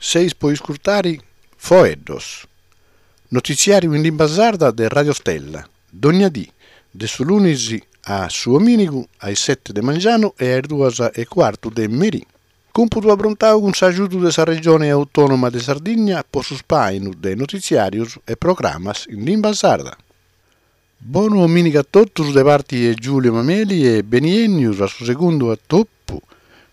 Seis po iscurtari Foeddos, notitziàriu in limba sarda de Radio Stella, dogna dì, de su lunis a su omìnigu a is sete de mangianu e a is duas e cuartu de merì. Cumpudu aprontau cun s'agiudu de sa Regione Autònoma de Sardigna po su spàinu de notitziàrios e programas in limba sarda. Bonu omìnigu a totus de parti 'e Giulio Mameli e beniènnius a su segundu atopu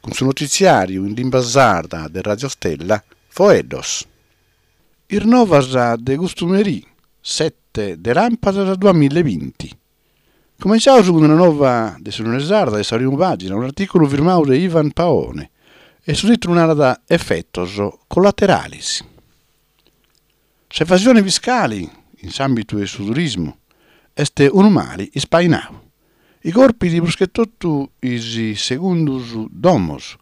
cun su notitziàriu in limba sarda de Radio Stella, Foeddos. Is novas de custu merì, sete de làmpadas duamilla e binti. Cumenciaus cun una nova de s'Unione Sarda de sa primu pàgina, un'artìculu firmau de Ivan Paone e su tìtulu narat Efetos collateralis. S'evasione fiscali in s'àmbitu 'e su turismu est unu mali ispainau. Chi corpit prus che totu is segundus domos,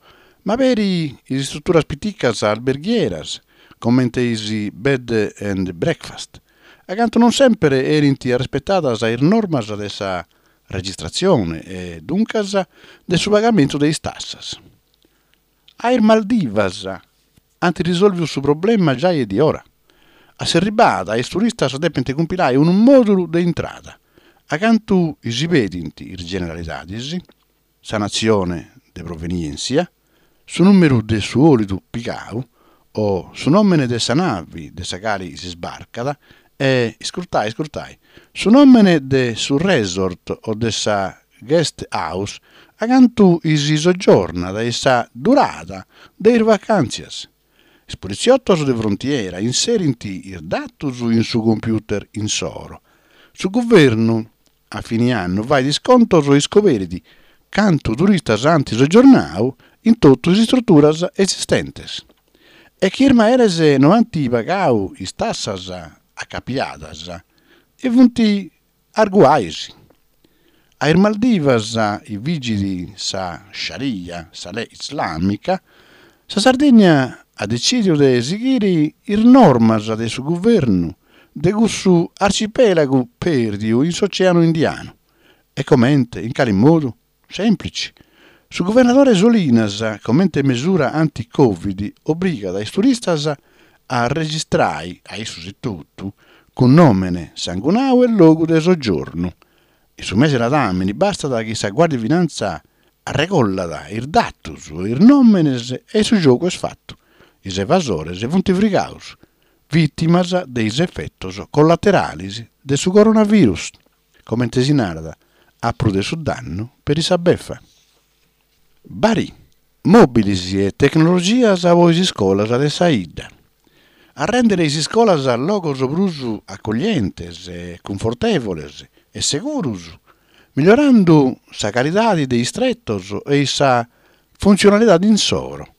ma peri is istruturas piticas alberghieras, comente is bed and breakfast, acantu non semper 'enint arrespetadas is normas de sa registratzione e, duncas, de su pagamentu de is tassas. A is Maldivas ant risòlviu su problema giai e diora. A s'erribada is turistas depint cumpilai unu mòdulu de intrada, acantu si pedint is generalidadis, sa natzione de provenièntzia, su nùmeru de su 'òlidu pigau o su nòmene de sa navi de sa cali si sbarcat e, iscurtai iscurtai, su nòmene de su resort o de sa guest house acantu si soggiornat e sa durada de is vacàntzias. Is politziotos de frontiera inserint is datos in su computer insoro. Su guvernu a fini annu fait is contos e iscoberit cantu turistas ant soggiornau in totu is istruturas esistentes. E chi is meres no ant pagau is tassas acapiadas e funt Arguais. A is Maldivas chi vigit sa Sharia, sa lei islamica, sa Sardigna at detzidiu de sighiri is normas de su guvernu de cussu arcipelagu perdiu in s'Oceanu Indianu. E comente, in cali modu? Sèmplici. Su guvernadore Solinas, comente mesura anti-Covid, obrigat is turistas a registrai, a issus etotu, cun nòmene, sangunau e logu de soggiornu. In su mese ladàmini bastat chi sa Guardia di Finanza arregollat is datus e is nòmenes e su giogu est fatu. Is evasores funt frigaus, vìtimas de is efetos collateralis de su coronavirus. Comente si narat, a prus de su dannu, peri sa befa. Barì, mòbilis e tecnologias po is iscolas de sa 'idda. A rèndere is iscolas logos prus acoglientes, cunfortèvoles e seguros, migliorando sa calidade de is tretos e sa funtzionalidade insoro.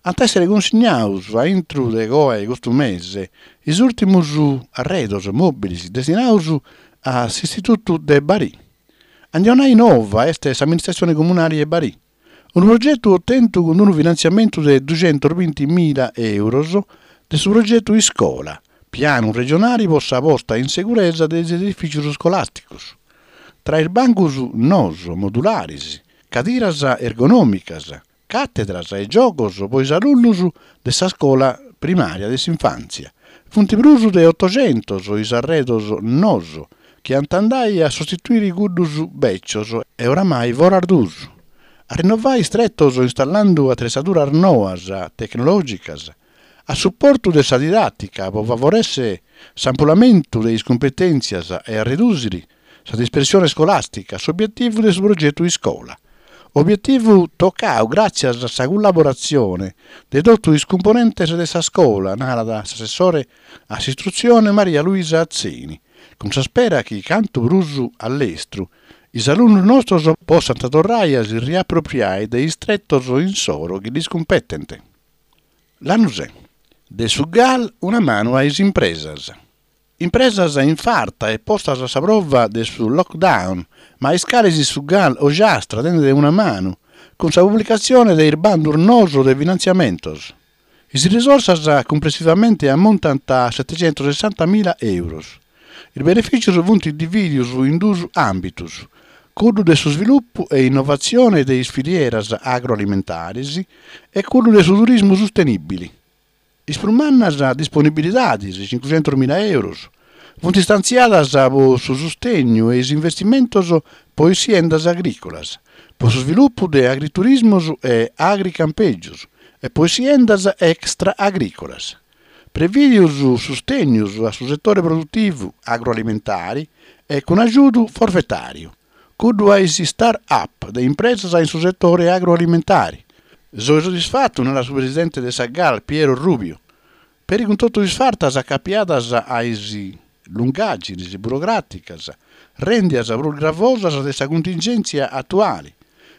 Ant a èssere cunsignados a intro de coa 'e custu mese is ùrtimos arredos mòbiles destinados a s'Istitutu de Barì. A ndi 'onai nova est s'amministratzione comunale 'e Barì. Unu progetu otentu cun unu finantziamentu de duxentosbinti mila euros de su progetu Iscola, pianu regionale po sa posta in seguresa de is edifìtzios iscolàsticos. Tra is bancos noos modulares, cadiras ergonòmicas, càtedras e giogos po is alunnos de sa scola primària de s'infàntzia. Funt prus de otoxentos is arredos noos chi ant a andai a sostituiri cuddos bècios e oramai foras d'usu. A rinnovai is tretos installando atretzaduras noas tecnològicas a suportu de sa didàtica po favorèssere s'ampulamentu de is cumpetèntzias e a redùsiri sa dispersione scolàstica, s'obietivu de su progetu Iscola. Obietivu tocau gràtzias a sa cullaboratzione de totu is cumponentes de sa scola, narat s'assessore a s'istrutzione Maria Luisa Atzeni, cun sa spera chi cantu prus a lestru is alunnos nostros possant torrai a si riapropriai de is tretos insoro chi ddis cumpetent. Lanusè. De su Gal una manu a is impresas. Impresas in farta e postas a sa prova de su lockdown, ma a is cales su Gal Ogiastra tendet una manu, cun sa publicatzione de is bandos noos de finantziamentos. Is risorsas cumplessivamente ammontant a setecentosessantamila euros. Is benefìtzios funt divìdios in duos àmbitos, cuddu de su svilupu e innovatzione de is filieras agroalimentares e cuddu de su turismu sustenìbili. Is prus mannas disponibilidadis, cincuxentus mila euros, funt istantziadas po su sustegnu e is investimentos po is siendas agrìcolas, po su svilupu de agriturismos e agricampègios e po is siendas extra-agrìcolas. Prevìdios sustegnos a su setore produtivu agroalimentare e cun agiudu forfetàriu, cuddu a is start-up de impresas in su setore agroalimentare. Soi soddisfatu, narat su presidente de sa GAL Piero Rubiu, peri cun totu is fartas acapiadas a is lungàgines burocràticas rèndias prus gravosas de sa cuntingèntzia atuale,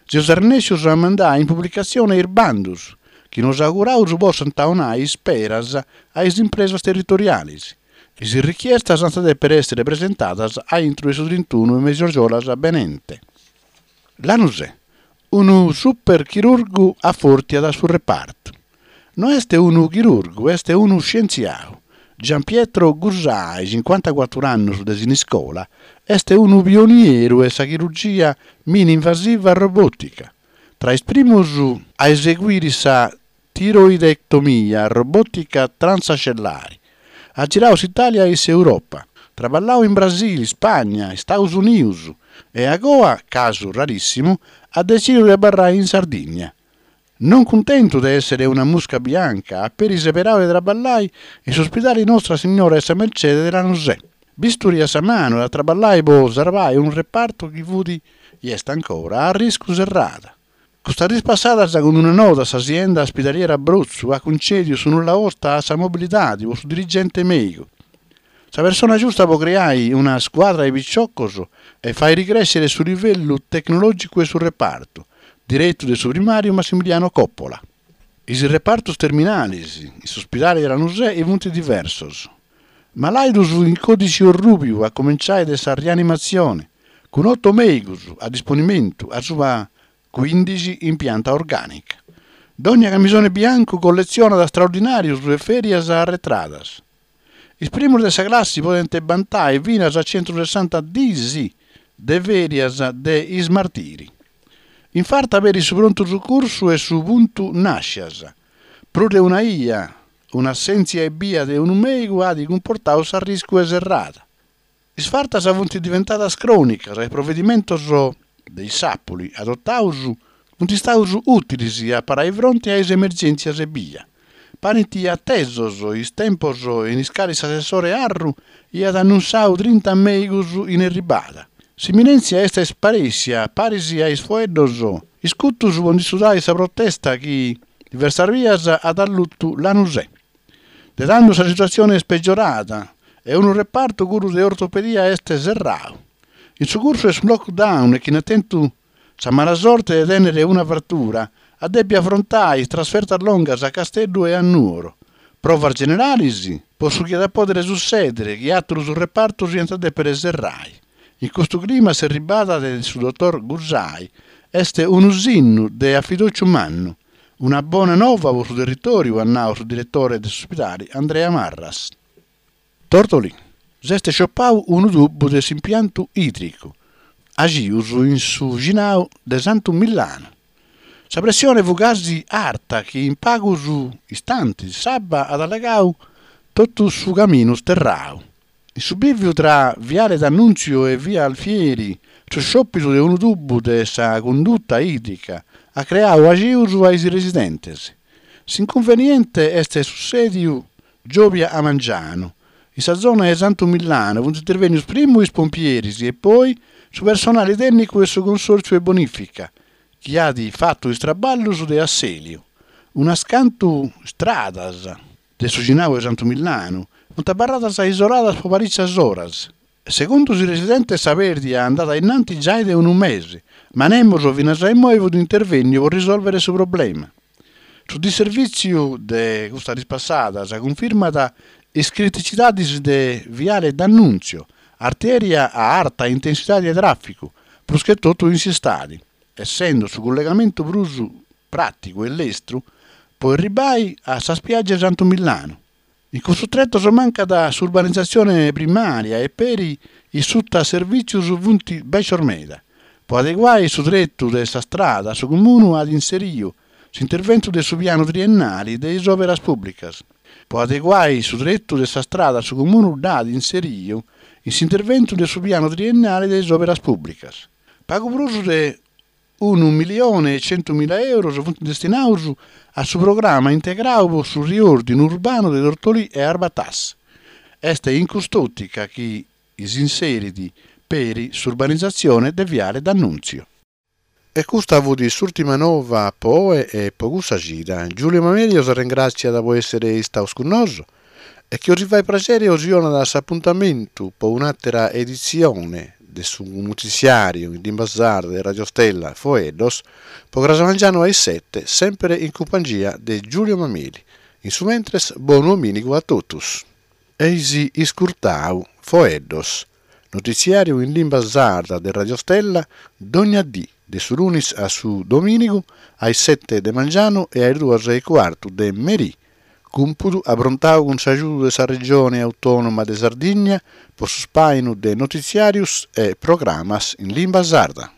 seus arrennèscius a mandai in publicatzione is bandus chi nos auguraus possant 'onai isperas a is impresas territoriales. Is richiestas ant a dèpere èssere presentadas a intro de su trintunu 'e mesi argiolas benente. Lanusè, unu superchirurgu afòrtiat su repartu. No est unu chirurgu, est unu scientziau. Giampietro Gusai, cincuantacuatru annus de Siniscola, est unu pionieru 'e sa chirurgia mini-invasiva robòtica. Tra is primus a eseguiri sa tiroidectomia robòtica transascellari. At girau s'Itàlia e s'Europa, traballau in Brasili, Spagna, Staus Unius e agoa, casu rarìssimu, at detzìdiu de abarrai in Sardigna. Non cuntentu de èssere una musca bianca, at peri seberau de traballai in s'ospidali Nostra Signora 'e sa Mercede de Lanusè. Bisturi a sa manu at a traballai po sarvai unu repartu chi fut, i est ancora, a arriscu serrada. Custas diis passadas cun una nota sa sienda spidaliera Brotzu at cuncèdiu su nulla osta a sa mobilidadi po su dirigente mèigu. Sa persona giusta po creai una scuadra 'e piciocos e fàiri crèscere su livellu tecnològicu 'e su repartu, diretu de su primàriu Massimiliano Coppola. Is repartos terminales in s'ospidale de Lanusè funt diversos. Malàidus in còdixi orrùbiu a cumenciai de sa rianimatzione, cun oto mèigus a disponimentu asuba cuìndixi in pianta orgànica. Dònnia camisone biancu colletzionat straordinàrius e fèrias arretradas. Is primus de sa classi podent bantai finas a centusessanta diis de fèrias de ismartiri. In farta peri su prontu sucursu e su puntu nàscias. Prus de una 'ia, un'assèntzia ebbia de unu mèigu at cumportau s'arriscu 'e serrada. Is fartas funt diventadas crònicas e is provedimentos de issàpuli adotaus funt istaus ùtilis a parai fronti a is emergèntzias ebbia. Parint atesos is tempos in is calis s'assessore Arru iat annunsau trinta mèigus in erribada. S'imminèntzia est sparèssia paris a is foeddos iscutus po ndi studai sa protesta chi diversas bias at allutu Lanusè. De tando sa situatzione est pegiorada e unu repartu cuddu de ortopedia est serrau. In su cursu 'e su lockdown e chini at tentu sa mala sorte de tènnere una fratura at dèpiu afrontai is trasfertas longas a Casteddu e a Nuoro. Provas generalis po su chi at a pòdere sussèdere chi àterus repartos iant a dèpere serrai. In custu clima s'erribada de su dotor Gusai est unu sinnu de afidòciu mannu. Una bona nova po su territòriu, at nau su diretore de s'ospidali Andrea Marras. Tortolì, s'est sciopau unu tubu de s'impiantu ìdricu, axius in su bixinau de Santu Millanu. Sa pressione fut gasi arta chi in pagus istantis s'abba at allagau totu su caminu sterrau. In su bìviu tra Viale D'Annunzio e Via Alfieri, su sciòpidu de unu tubu de sa cunduta ìdrica at creau axius a is residentes. S'incunveniente est sussèdiu giòbia a mangianu. In sa zona 'e Santu Millanu funt intervènnius primu is pompieris e poi su personali tènnicu 'e su Consòrtziu 'e Bonìfica, chi at fatu is traballus de assèliu. Unas cantu stradas de su bixinau 'e Santu Millanu funt abarradas isoladas po parìcias oras. Segundu is residentes sa pèrdia andat a innanti giai de unu mese, ma nemos finas a imoi fut intervènniu po risòlvere su problema. Su disservìtziu de custas diis passadas cunfirmat is criticidadis de Viale D'Annunzio, artèria a arta intensidadi de tràficu, prus che totu in s'istadi, essendo su collegamentu prus pràticu e lestru po erribai a sa spiàgia 'e Santu Millanu. In custus tretos mancat s'urbanizatzione primària e peri is sutaservìtzios funt bècios meda. Po adeguai su tretu de sa strada su Comunu at inseriu s'interventu de su pianu triennali de is òberas pùblicas. Po adeguai su tretu de sa strada su Comunu dd'at inseriu in s'interventu de su pianu triennale de is òberas pùblicas. Pagu prus de unu millione e centumila euros funt destinaus a su programma integrau po su riòrdinu urbanu de Tortolì e Arbatassa. Est in cust'òtica chi s'inserit peri s'urbanizatzione de Viale D'Annunzio. E custa fut s'ùrtima nova po oe e po custa cida. Giulio Mameli os arrengràtziat po èssere istaos cun nosu e chi 'osi fait praxeri osi 'onat s'apuntamentu po un'àtera editzione de su notitziàriu in limba sarda de Radio Stella Foeddos po cras mangianu a is sete, semper in cumpangia de Giulio Mameli. In su mentres, bonu omìnigu a totus. Eis iscurtau Foeddos, Notitziàriu in limba sarda de Radio Stella dogna dì de su lunis a su domìnigu a is sete de mangianu e a is duas e cuartu de merì, cumpudu aprontau cun s'agiudu de sa Regione Autònoma de Sardigna po su spàinu de notitziàrius e programas in limba sarda.